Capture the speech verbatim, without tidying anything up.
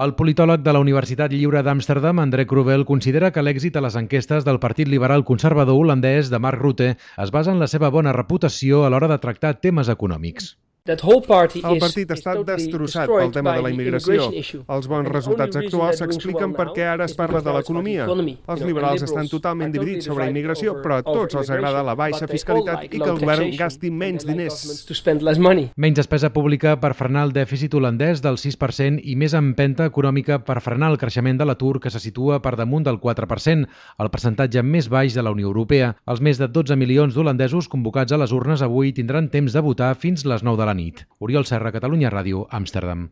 El politòleg de la Universitat Lliure d'Amsterdam, André Krubel, considera que l'èxit a les enquestes del Partit Liberal Conservador holandès de Mark Rutte es basa en la seva bona reputació a l'hora de tractar temes econòmics. El partit està destrossat pel tema de la immigració. Els bons resultats actuals s'expliquen perquè ara es parla de l'economia. Els liberals estan totalment dividits sobre immigració, però a tots els agrada la baixa fiscalitat i que el govern gasti menys diners. Menys despesa pública per frenar el dèficit holandès del sis per cent i més empenta econòmica per frenar el creixement de l'atur, que se situa per damunt del quatre per cent, el percentatge més baix de la Unió Europea. Els més de dotze milions d'holandesos convocats a les urnes avui tindran temps de votar fins les nou de la nit. Oriol Serra, Catalunya Ràdio, Amsterdam.